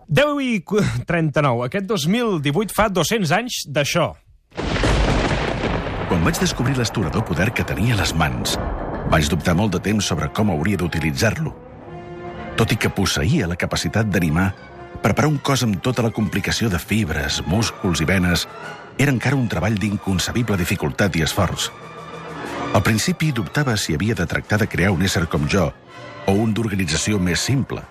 10:39. Aquest 2018 fa 200 anys d'això. Quan vaig descobrir l'astorador poder que tenia a les mans, vaig dubtar molt de temps sobre com hauria d'utilitzar-lo. Tot i que posseïa la capacitat d'animar, preparar un cos amb tota la complicació de fibres, músculs i venes era encara un treball d'inconcebible dificultat i esforç. Al principi dubtava si havia de tractar de crear un ésser com jo o un d'organització més simple.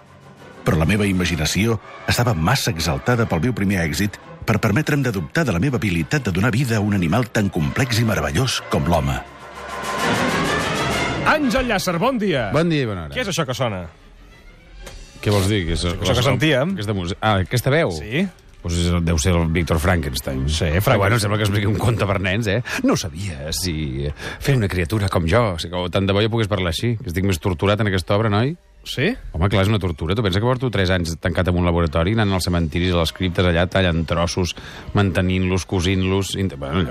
Però la meva imaginació estava massa exaltada pel meu primer èxit per permetre'm de dubtar de la meva habilitat de donar vida a un animal tan complex i meravellós com l'home. Àngel Llàcer, bon dia. Bon dia i bona hora. Què és això que sona? Què vols dir? Això que sentíem. Aquesta veu? Sí. Pues deu ser el Víctor Frankenstein. Sí, Frankenstein. Frankenstein. Bueno, sembla que expliqui un conte per nens, eh? No sabia si fer una criatura com jo... O sigui, tant de bo jo pogués parlar així, que estic més torturat en aquesta obra, noi? Sí? Home, clar, és una tortura. Tu pensa que porto 3 anys tancat en un laboratori, anant als cementiris, a les criptes, allà tallant trossos, mantenint-los, cosint-los... Bueno,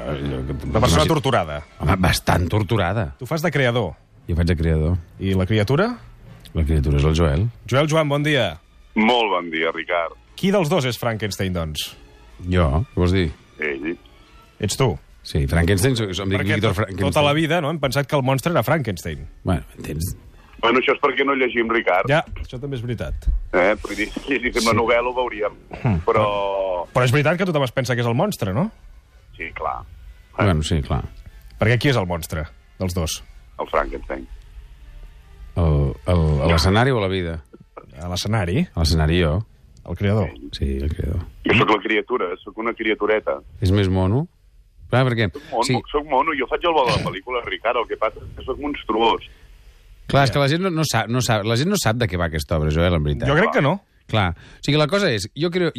Una persona torturada. Home, bastant torturada. Tu fas de creador. Jo faig de creador. I la criatura? La criatura és el Joel. Joan, bon dia. Molt bon dia, Ricard. Qui dels dos és Frankenstein, doncs? Jo, què vols dir? Ell. Ets tu. Sí, Frankenstein, em dic Perquè Víctor Frankenstein. tota la vida no, hem pensat que el monstre era Frankenstein. Bueno, m'entens? Bueno, això és perquè no llegim, Ricard. Ja, això també és veritat. Vull dir, si llegíssim la novel·la ho veuríem. Però... Però és veritat que tothom es pensa que és el monstre, no? Sí, clar. Bueno, sí, clar. Perquè qui és el monstre dels dos? El Frankenstein. A l'escenari o a la vida? A l'escenari, A l'escenari jo. el creador. Sí, el creador. Jo sóc la criatura, sóc una criatureta. És més mono? Clar, perquè... Soc mono, jo faig el bo de la pel·lícula, Ricard, el que passa és que sóc monstruós. Clar, és que la gent no sap, la gent no sap de què va aquesta obra, Joel, en veritat. Jo crec que no. Clar, o sigui, la cosa és, jo crec...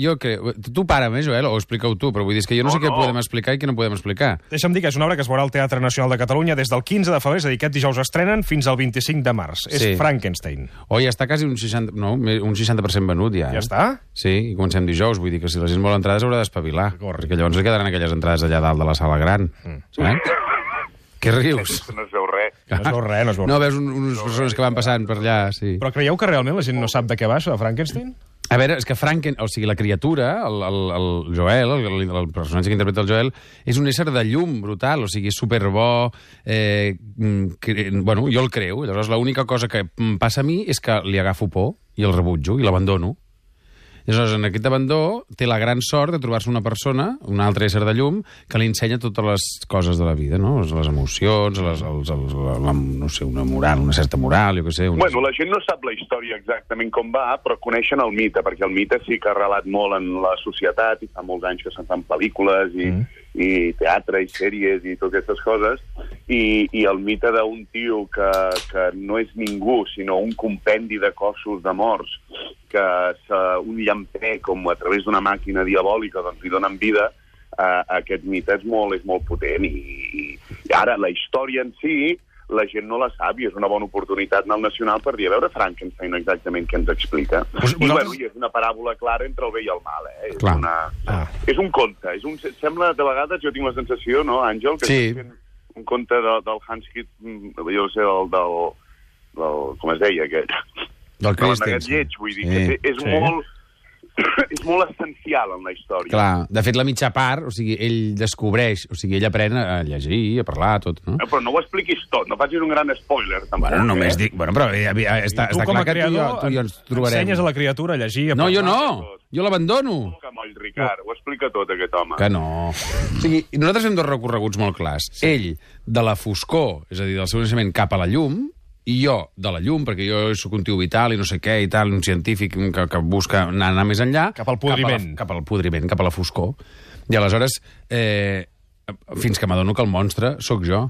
Tu para'm, Joel, o explica-ho tu, però vull dir que jo no sé què podem explicar i què no podem explicar. Deixa'm dir que és una obra que es veurà al Teatre Nacional de Catalunya des del 15 de febrer, és a dir, aquest dijous estrenen, fins al 25 de març. Sí. És Frankenstein. O ja està quasi un 60% venut, ja. Ja està? Sí, i comencem dijous, vull dir que si la gent vol entrades haurà d'espavilar, perquè llavors li quedaran aquelles entrades allà dalt de la sala gran. Saps? Què rius? No es veu res. No es veu res, no es veu res. No, veus unes persones que van passant per allà, sí. Però creieu que realment la gent no sap de què va això de Frankenstein? A veure, és que o sigui, la criatura, el Joel, el personatge que interpreta el Joel, és un ésser de llum brutal, o sigui, és superbo, bueno, jo el creu, llavors l'única cosa que em passa a mi és que li agafo por i el rebutjo i l'abandono. Llavors, en aquest abandó, té la gran sort de trobar-se una persona, un altre ésser de llum, que li ensenya totes les coses de la vida, no? Les emocions, no sé, una moral, una certa moral, jo què sé... Bueno, la gent no sap la història exactament com va, però coneixen el mite, perquè el mite sí que ha arrelat molt en la societat, i fa molts anys que se'n fan pel·lícules, i teatre, i sèries, i totes aquestes coses, i el mite d'un tio que no és ningú, sinó un compendi de cossos de morts, que un llampec, com a través d'una màquina diabòlica, doncs li donen vida, aquest mite és molt potent. I ara, la història en si, la gent no la sap, i és una bona oportunitat anar al Nacional per dir, a veure Frankenstein exactament què ens explica. I és una paràbola clara entre el bé i el mal, eh? És un conte. Sembla, de vegades, jo tinc la sensació, no, Àngel, que és un conte del Hans Kitt, jo no sé, del com es deia, aquest... Del Christensen. Lleig, vull dir, que és molt essencial en la història. Clar, de fet, la mitja part, o sigui, ell descobreix, o sigui, ell aprèn a llegir, a parlar, tot, no? Però no ho expliquis tot, no facis un gran spoiler, tampoc. Bueno, només dic... Bueno, però està clar que tu i jo ens trobarem. Ensenyes a la criatura a llegir, a parlar. No, jo no! Jo l'abandono! Ricard, ho explica tot, aquest home. Que no. O sigui, nosaltres hem dos recorreguts molt clars. Ell, de la foscor, és a dir, del seu naixement cap a la llum, i jo, de la llum, perquè jo sóc un tio vital i no sé què i tal, un científic que busca anar més enllà... Cap al podriment. Cap al podriment, cap a la foscor. I aleshores, fins que m'adono que el monstre sóc jo,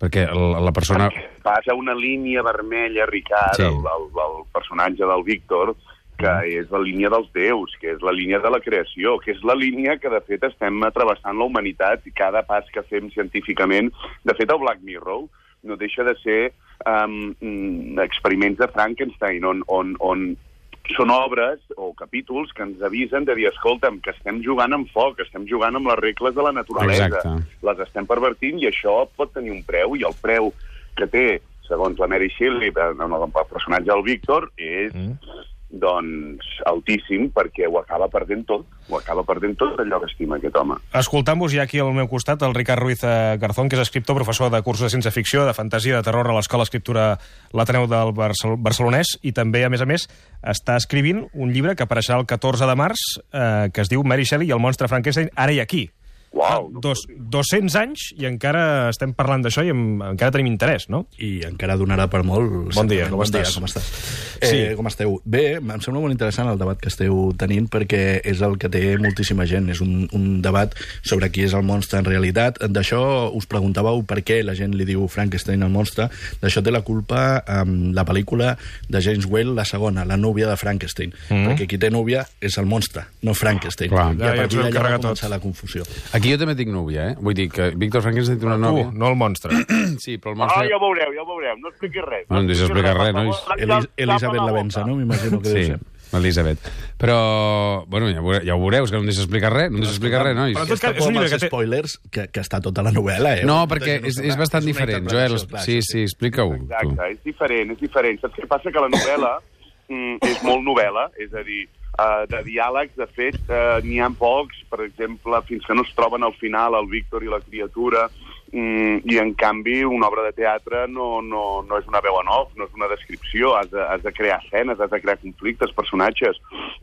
perquè la persona... Passa una línia vermella, Ricard, el personatge del Víctor, que és la línia dels déus, que és la línia de la creació, que és la línia que, de fet, estem travessant la humanitat i cada pas que fem científicament... De fet, el Black Mirror no deixa de ser experiments de Frankenstein, on són obres o capítols que ens avisen de dir, escolta'm, que estem jugant amb foc, estem jugant amb les regles de la naturalesa. Exacte. Les estem pervertint i això pot tenir un preu, i el preu que té, segons la Mary Shelley, el personatge del Víctor, és doncs, altíssim, perquè ho acaba perdent tot. Ho acaba perdent tot allò que estima aquest home. Escoltant-vos ja aquí al meu costat el Ricard Ruiz Garzón, que és escriptor, professor de cursos de ciència-ficció, de fantasia, de terror a l'Escola d'Escriptura l'Ateneu del Barcelonès, i també, a més, està escrivint un llibre que apareixerà el 14 de març, que es diu Mary Shelley i el monstre Frankenstein, ara i aquí. Uau! 200 anys i encara estem parlant d'això i encara tenim interès, no? I encara donarà per molt. Bon dia, com estàs? Com estàs? Com esteu? Bé, em sembla molt interessant el debat que esteu tenint, perquè és el que té moltíssima gent. És un debat sobre qui és el monstre en realitat. D'això us preguntàveu per què la gent li diu Frankenstein al monstre. D'això té la culpa la pel·lícula de James Whale, la segona, La núvia de Frankenstein. Perquè qui té núvia és el monstre, no Frankenstein. Clar. I a partir d'allà va tot. començar la confusió. Aquí jo també tinc núvia, Vull dir que Víctor Frankenstein té una nòvia. No el monstre. Sí, però el monstre... Ja ho veureu. No expliquis res. No em deixes explicar res, nois. Elisabet Lavenza, no? M'imagino que deu Sí, ser. Elisabet. Però, bueno, ja ho veureu, és que no em deixes explicar res, nois. Però en tot cas, és És un llibre que té... spoilers que està tota la novel·la, No, perquè és bastant diferent, Joel. Sí, explica-ho. Exacte, és diferent. Saps què passa? Que la novel·la és molt novel·la, és a dir, de diàlegs, de fet, n'hi ha pocs, per exemple, fins que no es troben al final el Víctor i la criatura, i en canvi una obra de teatre no és una veu en off, no és una descripció, has de crear escenes, has de crear conflictes, personatges,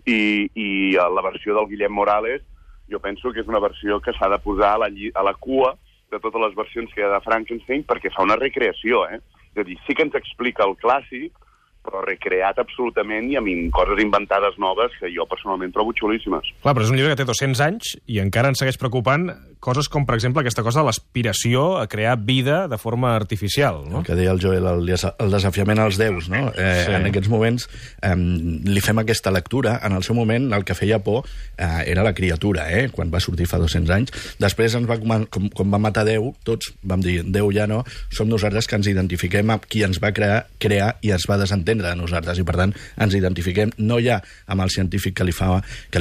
i la versió del Guillem Morales jo penso que és una versió que s'ha de posar a la cua de totes les versions que hi ha de Frankenstein, perquè fa una recreació, És a dir, sí que ens explica el clàssic, però recreat absolutament i amb coses inventades noves que jo personalment trobo xulíssimes. Clar, però és un llibre que té 200 anys i encara ens segueix preocupant coses com, per exemple, aquesta cosa de l'aspiració a crear vida de forma artificial, no? El que deia el Joel, el desafiament als déus, no? Sí. En aquests moments li fem aquesta lectura. En el seu moment el que feia por era la criatura, quan va sortir fa 200 anys. Després ens va, com va matar Déu, tots vam dir, Déu ja no, som nosaltres que ens identifiquem amb qui ens va crear i es va desentendre de nosaltres, i per tant ens identifiquem no ja amb el científic que li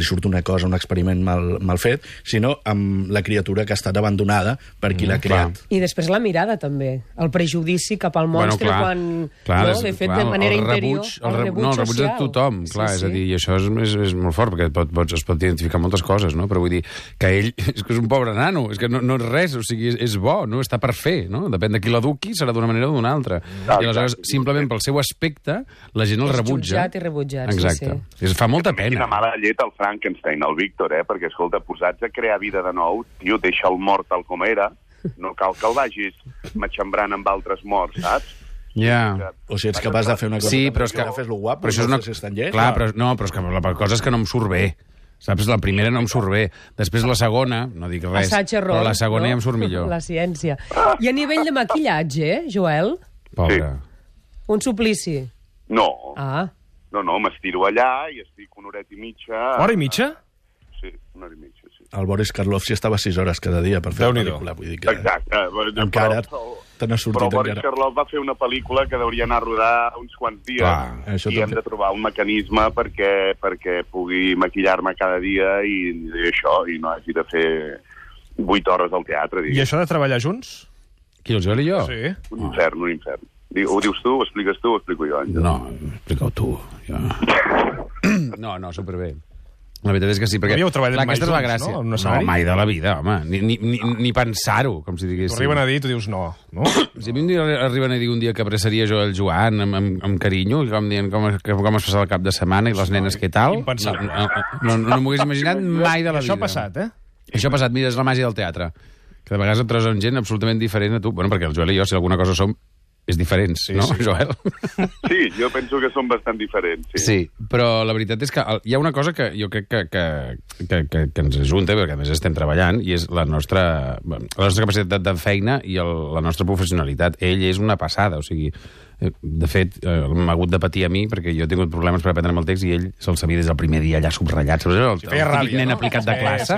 surt una cosa, un experiment mal fet, sinó amb la criatura que ha estat abandonada per qui l'ha creat. I després la mirada, també. El prejudici cap al monstre, de fet, de manera interior. El rebuig de tothom, clar, és a dir, i això és molt fort, perquè es pot identificar moltes coses, no? Però vull dir que ell és que és un pobre nano, és que no és res, o sigui, és bo, no? Està per fer, no? Depèn de qui l'eduqui, serà d'una manera o d'una altra. I aleshores, simplement pel seu aspecte, la gent el rebutja. És jutjat i rebutjat, exacte. Sí. Fa molta pena. Quina mala llet el Frankenstein, el Víctor, perquè, escolta, posats a crear vida de nou, tio, deixa el mort tal com era, no cal que el vagis matxembrant amb altres morts, saps? Ja. O si ets capaç de fer una cosa... Sí, però és que... Fes-lo guapo, però això és una... Clar, però és que la cosa és que no em surt bé. Saps? La primera no em surt bé. Després la segona, no dic res, assaig-error, però la segona ja em surt millor. La ciència. I a nivell de maquillatge, Joel? Pobre. Un suplici. No. No, m'estiro allà i estic una horeta i mitja... Hora i mitja? Sí, una hora i mitja, sí. El Boris Karloff s'hi estava 6 hores cada dia per fer la pel·lícula. Vull dir que... Exacte. Encara te n'ha sortit. Però Boris Karloff va fer una pel·lícula que hauria anar a rodar uns quants dies i hem de trobar un mecanisme perquè pugui maquillar-me cada dia i no hagi de fer 8 hores al teatre. I això de treballar junts? Qui, el Joel i jo? Sí. Un infern. Ho dius tu, ho expliques tu, ho explico jo. No, explica-ho tu. Jo. No, superbé. La veritat és que sí, perquè... Havíeu treballat mai junts, és la gràcia. No? No, mai de la vida, home. Ni pensar-ho, com si diguéssim. T'ho arriben a dir i tu dius no? Si a mi arriben a dir un dia que abraçaria jo el Joan amb carinyo, com dient com es passava el cap de setmana i les nenes què tal, no m'ho hagués imaginat mai de la vida. Això ha passat, Això ha passat, mira, és la màgia del teatre. Que de vegades et trobes amb gent absolutament diferent a tu. Bueno, perquè el Joel i jo, si alguna cosa som, és diferents, no, Joel? Sí, jo penso que són bastant diferents. Sí, però la veritat és que hi ha una cosa que jo crec que ens ajunta, perquè a més estem treballant, i és la nostra capacitat de feina i la nostra professionalitat. Ell és una passada, o sigui... De fet, m'ha hagut de patir a mi perquè jo he tingut problemes per aprendre'm el text i ell se'l sabia des del primer dia allà subratllat. El típic nen aplicat de classe.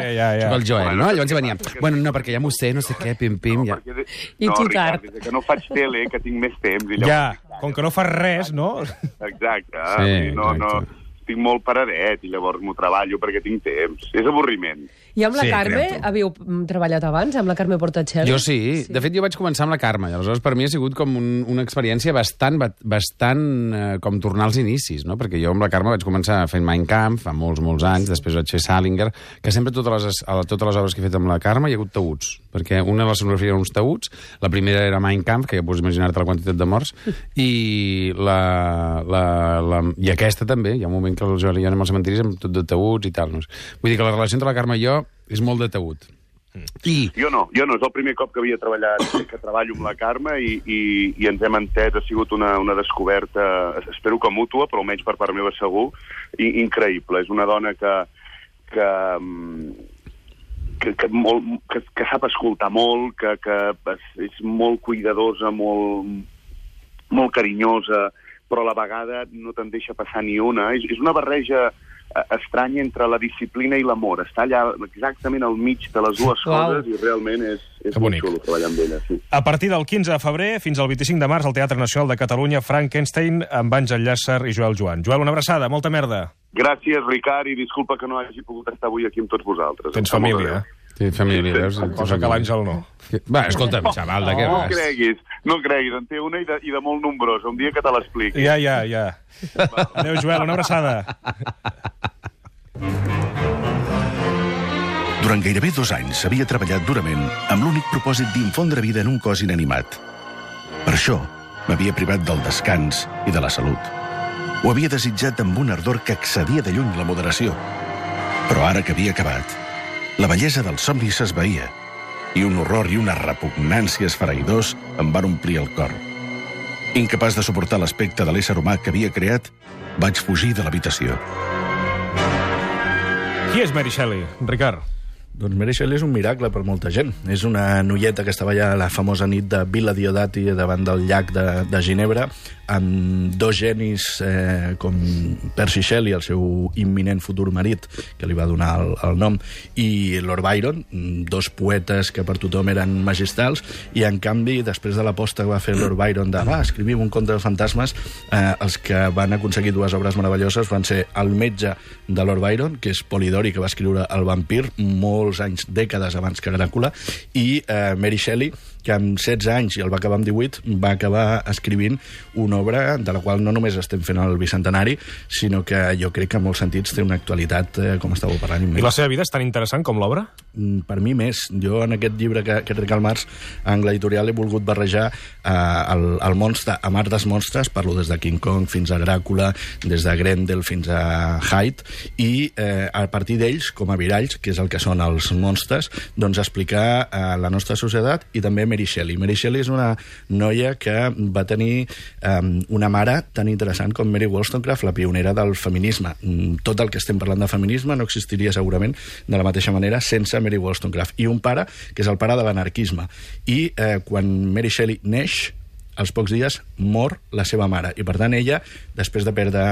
El Joel, no? Llavors hi venia, bueno, no, perquè ja m'ho sé, no sé què, pim, ja. I tu tard. Que no faig tele, que tinc més temps. Ja, com que no fas res, no? Exacte. Sí, no estic molt paradet i llavors m'ho treballo perquè tinc temps. És avorriment. I amb la Carme, havíeu treballat abans, amb la Carme Portacelli? Jo sí. De fet, jo vaig començar amb la Carme, i aleshores per mi ha sigut com una experiència bastant com tornar als inicis, no? Perquè jo amb la Carme vaig començar fent Mein Kampf fa molts anys, després vaig fer Salinger, que sempre totes les obres que he fet amb la Carme hi ha hagut taüts, perquè una de les escenografies eren uns taüts, la primera era Mein Kampf, que ja pots imaginar-te la quantitat de morts, i aquesta també, hi ha un moment que el Joel i jo anem als cementiris amb tot de taüts i tal. No? Vull dir que la relació entre la Carme i jo és molt de taüt. Jo no, és el primer cop que havia treballat, que treballo amb la Carme i ens hem entès, ha sigut una descoberta, espero que mútua, però almenys per part meva segur, i increïble. És una dona que sap escoltar molt, que és molt cuidadosa, molt carinyosa, però a la vegada no te'n deixa passar ni una. És una barreja estranya entre la disciplina i l'amor. Està allà exactament al mig de les dues coses i realment és molt xulo treballar amb ella. Sí. A partir del 15 de febrer fins al 25 de març al Teatre Nacional de Catalunya, Frankenstein amb Àngel Llàcer i Joel Joan. Joel, una abraçada, molta merda. Gràcies, Ricard, i disculpa que no hagi pogut estar avui aquí amb tots vosaltres. Tens família, Sí, família, veus? Cosa que l'Àngel no. Va, escolta'm, xaval, de què vas? No creguis, en té una i de molt nombrosa. Un dia que te l'expliqui. Ja. Adéu, Joel, una abraçada. Durant gairebé 2 anys havia treballat durament amb l'únic propòsit d'infondre vida en un cos inanimat. Per això m'havia privat del descans i de la salut. Ho havia desitjat amb un ardor que excedia de lluny la moderació. Però ara que havia acabat, la bellesa del somni s'esvaïa i un horror i una repugnància esfereïdors em van omplir el cor. Incapaç de suportar l'aspecte de l'ésser humà que havia creat, vaig fugir de l'habitació. Qui és Mary Shelley, Ricard? Doncs Mary Shelley és un miracle per molta gent. És una noieta que estava allà a la famosa nit de Villa Diodati davant del llac de Ginebra, amb 2 genis com Percy Shelley, el seu imminent futur marit, que li va donar el nom, i Lord Byron, 2 poetes que per tothom eren magistrals, i en canvi, després de l'aposta que va fer Lord Byron de escrivim un conte de fantasmes, els que van aconseguir 2 obres meravelloses van ser el metge de Lord Byron, que és Polidori, que va escriure El vampir molts anys, dècades abans que Dràcula, i Mary Shelley, que amb 16 anys, i el va acabar amb 18, va acabar escrivint una obra de la qual no només estem fent el bicentenari, sinó que jo crec que en molts sentits té una actualitat, com estàveu parlant. I la seva vida és tan interessant com l'obra? Per mi més. Jo en aquest llibre que trec al març, a Angle Editorial, he volgut barrejar el monstre, a mar dels monstres, parlo des de King Kong fins a Dràcula, des de Grendel fins a Hyde, i a partir d'ells, com a viralls, que és el que són els monstres, doncs explicar la nostra societat i també Mary Shelley. Mary Shelley és una noia que va tenir una mare tan interessant com Mary Wollstonecraft, la pionera del feminisme. Tot el que estem parlant de feminisme no existiria segurament de la mateixa manera sense Mary Wollstonecraft. I un pare, que és el pare de l'anarquisme. I quan Mary Shelley neix, als pocs dies mor la seva mare. I per tant ella, després de perdre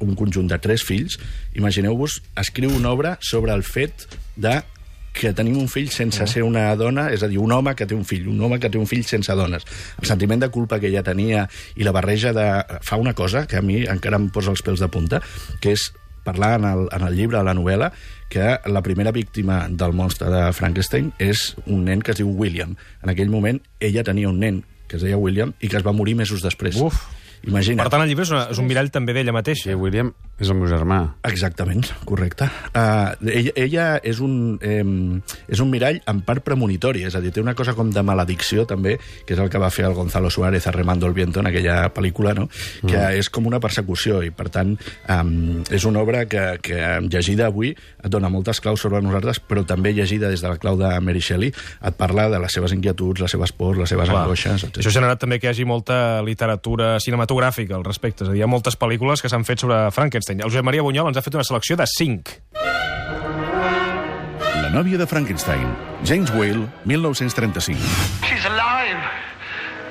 un conjunt de 3 fills, imagineu-vos, escriu una obra sobre el fet de que tenim un fill sense ser una dona, és a dir, un home que té un fill sense dones. El sentiment de culpa que ella tenia i la barreja de... Fa una cosa que a mi encara em posa els pèls de punta, que és parlar en el llibre, a la novel·la, que la primera víctima del monstre de Frankenstein és un nen que es diu William. En aquell moment ella tenia un nen que es deia William i que es va morir mesos després. Imagina't. Per tant, el llibre és un mirall també d'ella mateixa. Sí, William és el meu germà. Exactament, correcte. Ella és un mirall en part premonitori, és a dir, té una cosa com de maledicció també, que és el que va fer el Gonzalo Suárez a Remando el Viento en aquella pel·lícula, no? Que és com una persecució i, per tant, és una obra que llegida avui et dona moltes claus sobre nosaltres, però també llegida des de la clau de Mary Shelley et parla de les seves inquietuds, les seves pors, les seves angoixes, etc. Això ha generat també que hi hagi molta literatura cinematogràfica al respecte, és a dir, hi ha moltes pel·lícules que s'han fet sobre Frankenstein. El Josep Maria Bunyol ens ha fet una selecció de 5. La nòvia de Frankenstein, James Whale, 1935. She's alive!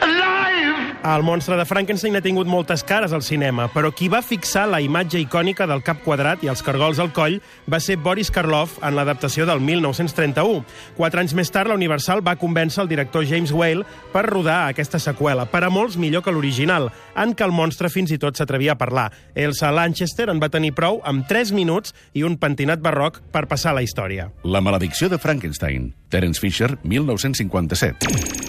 Alive! El monstre de Frankenstein ha tingut moltes cares al cinema, però qui va fixar la imatge icònica del cap quadrat i els cargols al coll va ser Boris Karloff en l'adaptació del 1931. 4 anys més tard, la Universal va convèncer el director James Whale per rodar aquesta seqüela, per a molts millor que l'original, en què el monstre fins i tot s'atrevia a parlar. Elsa Lanchester en va tenir prou amb 3 minuts i un pentinat barroc per passar a la història. La maledicció de Frankenstein, Terence Fisher, 1957.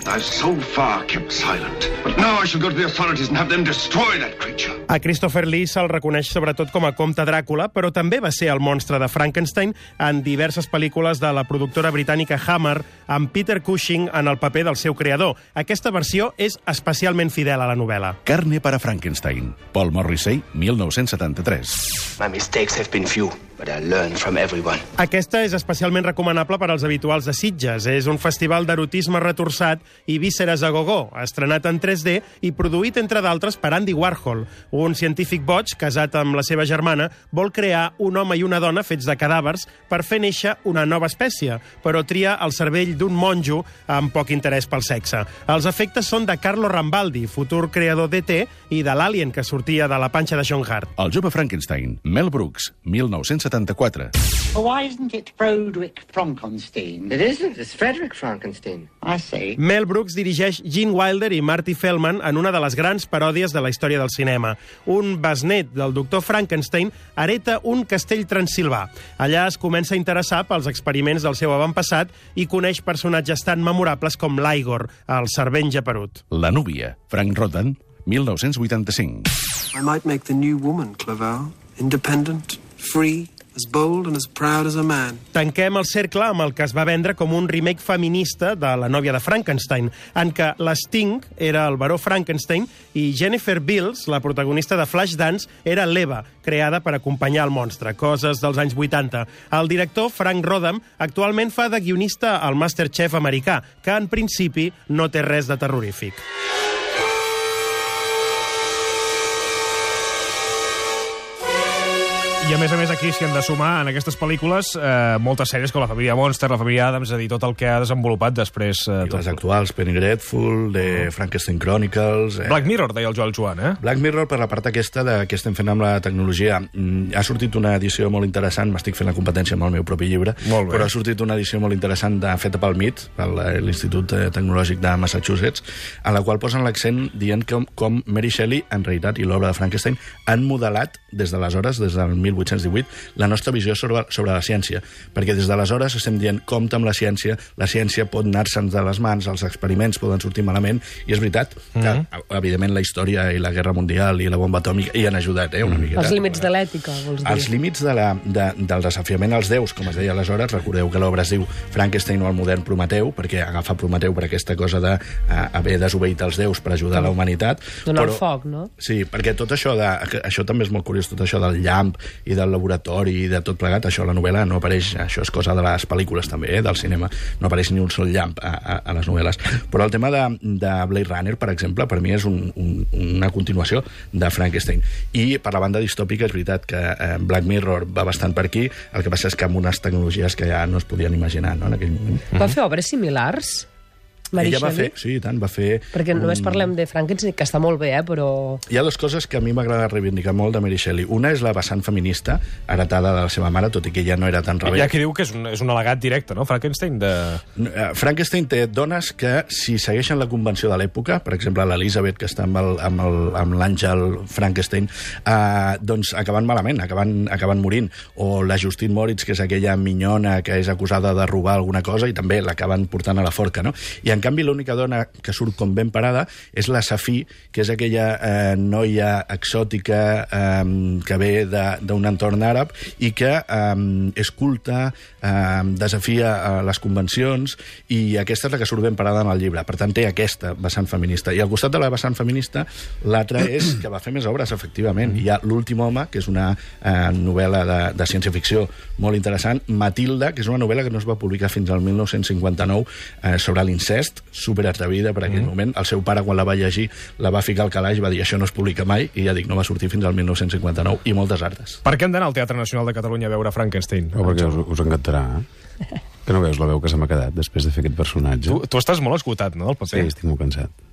I've so far kept silent, but now I shall go to the authorities and have them destroy that creature. A Christopher Lee se'l reconeix sobretot com a comte Dràcula, però també va ser el monstre de Frankenstein en diverses pel·lícules de la productora britànica Hammer, amb Peter Cushing en el paper del seu creador. Aquesta versió és especialment fidel a la novel·la. Carne para Frankenstein, Paul Morrissey, 1973. My mistakes have been few, but I learn from everyone. Aquesta és especialment recomanable per als habituals de Sitges. És un festival d'erotisme retorçat i vísceres a gogó, estrenat en 3D i produït, entre d'altres, per Andy Warhol. Un científic boig, casat amb la seva germana, vol crear un home i una dona fets de cadàvers per fer néixer una nova espècie, però tria el cervell d'un monjo amb poc interès pel sexe. Els efectes són de Carlo Rambaldi, futur creador d'E.T. i de l'Alien que sortia de la panxa de John Hart. El jove Frankenstein, Mel Brooks, 1974. Why isn't it Frederick Frankenstein? It isn't. It's Frederick Frankenstein. I see. Mel Brooks dirigeix Gene Wilder i Marty Feldman en una de les grans paròdies de la història del cinema. Un besnet del doctor Frankenstein hereta un castell transilvà. Allà es comença a interessar pels experiments del seu avantpassat i coneix personatges tan memorables com l'Igor, el servent geperut. La núvia, Frank Rodan, 1985. I might make the new woman, Clerval. Independent, free, as bold and as proud as a man. Tanquem el cercle amb el que es va vendre com un remake feminista de La nòvia de Frankenstein, en què l'Sting era el baró Frankenstein i Jennifer Beals, la protagonista de Flashdance, era l'Eva, creada per acompanyar el monstre, coses dels anys 80. El director, Frank Rodham, actualment fa de guionista al Masterchef americà, que en principi no té res de terrorífic. I a més aquí s'hi han de sumar en aquestes pel·lícules moltes sèries com la família Monster, la família Addams, és a dir, tot el que ha desenvolupat després. I les actuals, Penny Dreadful, de Frankenstein Chronicles... Black Mirror, deia el Joel Joan, eh? Black Mirror, per la part aquesta de què estem fent amb la tecnologia. Ha sortit una edició molt interessant, m'estic fent la competència amb el meu propi llibre, però ha sortit una edició molt interessant feta pel MIT, per l'Institut Tecnològic de Massachusetts, en la qual posen l'accent dient com Mary Shelley, en realitat, i l'obra de Frankenstein, han modelat des d'aleshores, des del 1818, la nostra visió sobre la ciència. Perquè des d'aleshores estem dient compte amb la ciència pot anar-se'n de les mans, els experiments poden sortir malament, i és veritat que, evidentment, la història i la guerra mundial i la bomba atòmica hi han ajudat, una miqueta. Els límits de l'ètica, vols dir? Els límits del desafiament als déus, com es deia aleshores, recordeu que l'obra es diu Frankenstein o el modern Prometeu, perquè agafa Prometeu per aquesta cosa d'haver desobeït els déus per ajudar la humanitat. Donar el foc, no? Sí, perquè tot això, això també és molt curiós, tot això del llamp i del laboratori i de tot plegat, això a la novel·la no apareix, això és cosa de les pel·lícules també, del cinema, no apareix ni un sol llamp a les novel·les. Però el tema de Blade Runner, per exemple, per mi és una continuació de Frankenstein. I per la banda distòpica és veritat que Black Mirror va bastant per aquí, el que passa és que amb unes tecnologies que ja no es podien imaginar, no, en aquell moment. Va fer obres similars? Ella va fer, sí, i tant, va fer... Perquè només parlem de Frankenstein, que està molt bé, però... Hi ha dues coses que a mi m'agrada reivindicar molt de Mary Shelley. Una és la vessant feminista, heretada de la seva mare, tot i que ella no era tan rebel. Hi ha qui diu que és un al·legat directe, no?, Frankenstein, Frankenstein té dones que, si segueixen la convenció de l'època, per exemple, l'Elizabeth, que està amb l'Àngel Frankenstein, doncs acaben malament, acaben morint. O la Justine Moritz, que és aquella minyona que és acusada de robar alguna cosa, i també l'acaben portant a la forca, no? I en canvi l'única dona que surt com ben parada és la Safí, que és aquella noia exòtica que ve d'un entorn àrab i que és culta, desafia les convencions, i aquesta és la que surt ben parada en el llibre. Per tant, té aquesta vessant feminista. I al costat de la vessant feminista, l'altra és que va fer més obres, efectivament. Hi ha L'últim home, que és una novel·la de ciència-ficció molt interessant, Matilda, que és una novel·la que no es va publicar fins al 1959 sobre l'incest, superatrevida per aquell moment. El seu pare, quan la va llegir, la va ficar al calaix, va dir això no es publica mai, i ja dic, no va sortir fins al 1959, i moltes altres. Per què hem d'anar al Teatre Nacional de Catalunya a veure Frankenstein? Perquè us encantarà, Que no veus la veu que se m'ha quedat després de fer aquest personatge? Tu estàs molt esgotat, no, del paper? Sí, estic molt cansat.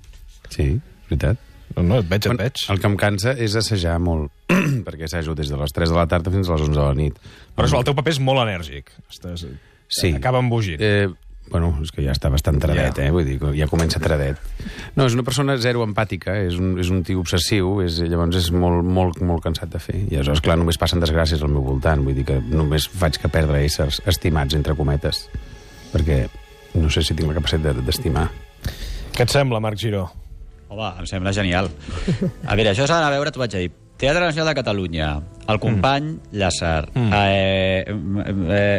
Sí, veritat. No, et veig. El que em cansa és assajar molt, perquè assajo des de les 3 de la tarda fins a les 11 de la nit. Però el teu paper és molt enèrgic. Sí. Acaba embogint. Bueno, és que ja està bastant tradet, Vull dir, ja comença tradet. No, és una persona zero empàtica, és un tio obsessiu, llavors és molt cansat de fer. I aleshores, clar, només passen desgràcies al meu voltant, vull dir que només faig que perdre éssers estimats, entre cometes, perquè no sé si tinc la capacitat d'estimar. Què et sembla, Marc Giró? Home, em sembla genial. A veure, això s'ha d'anar a veure, t'ho vaig a dir. Teatre Nacional de Catalunya, el company Llàcer,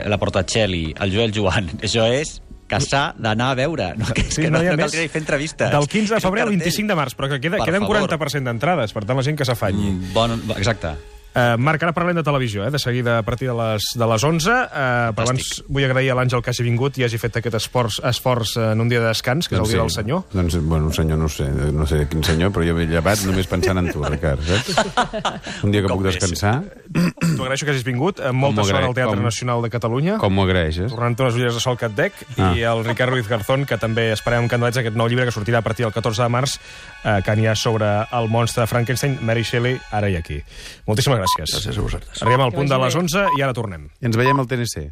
la Portacelli, el Joel Joan, això és que s'ha d'anar a veure. No caldria ni fer entrevistes. Del 15 de febrer al 25 de març, però que queden 40% d'entrades, per tant la gent que s'afanyi. Exacte. Marc, ara parlem de televisió, de seguida a partir de les 11. Però abans vull agrair a l'Àngel que hagi vingut i hagi fet aquest esforç en un dia de descans, que és el dia del senyor. Doncs, bueno, senyor, no sé quin senyor, però jo m'he llevat només pensant en tu, Ricard, saps? Un dia que puc descansar. T'ho agraeixo que hagis vingut. Molta sort al Teatre Nacional de Catalunya. Com m'ho agraeixes? Tornant unes ulleres de sol que et dec. I el Ricard Ruiz Garzón, que també esperem amb candelets aquest nou llibre que sortirà a partir del 14 de març, que n'hi ha sobre el monstre de Frankenstein, Mary Shelley, ara i aquí. Moltíssimes gràcies. Gràcies a vosaltres. Arribem al punt de les 11 i ara tornem. I ens veiem al TNC.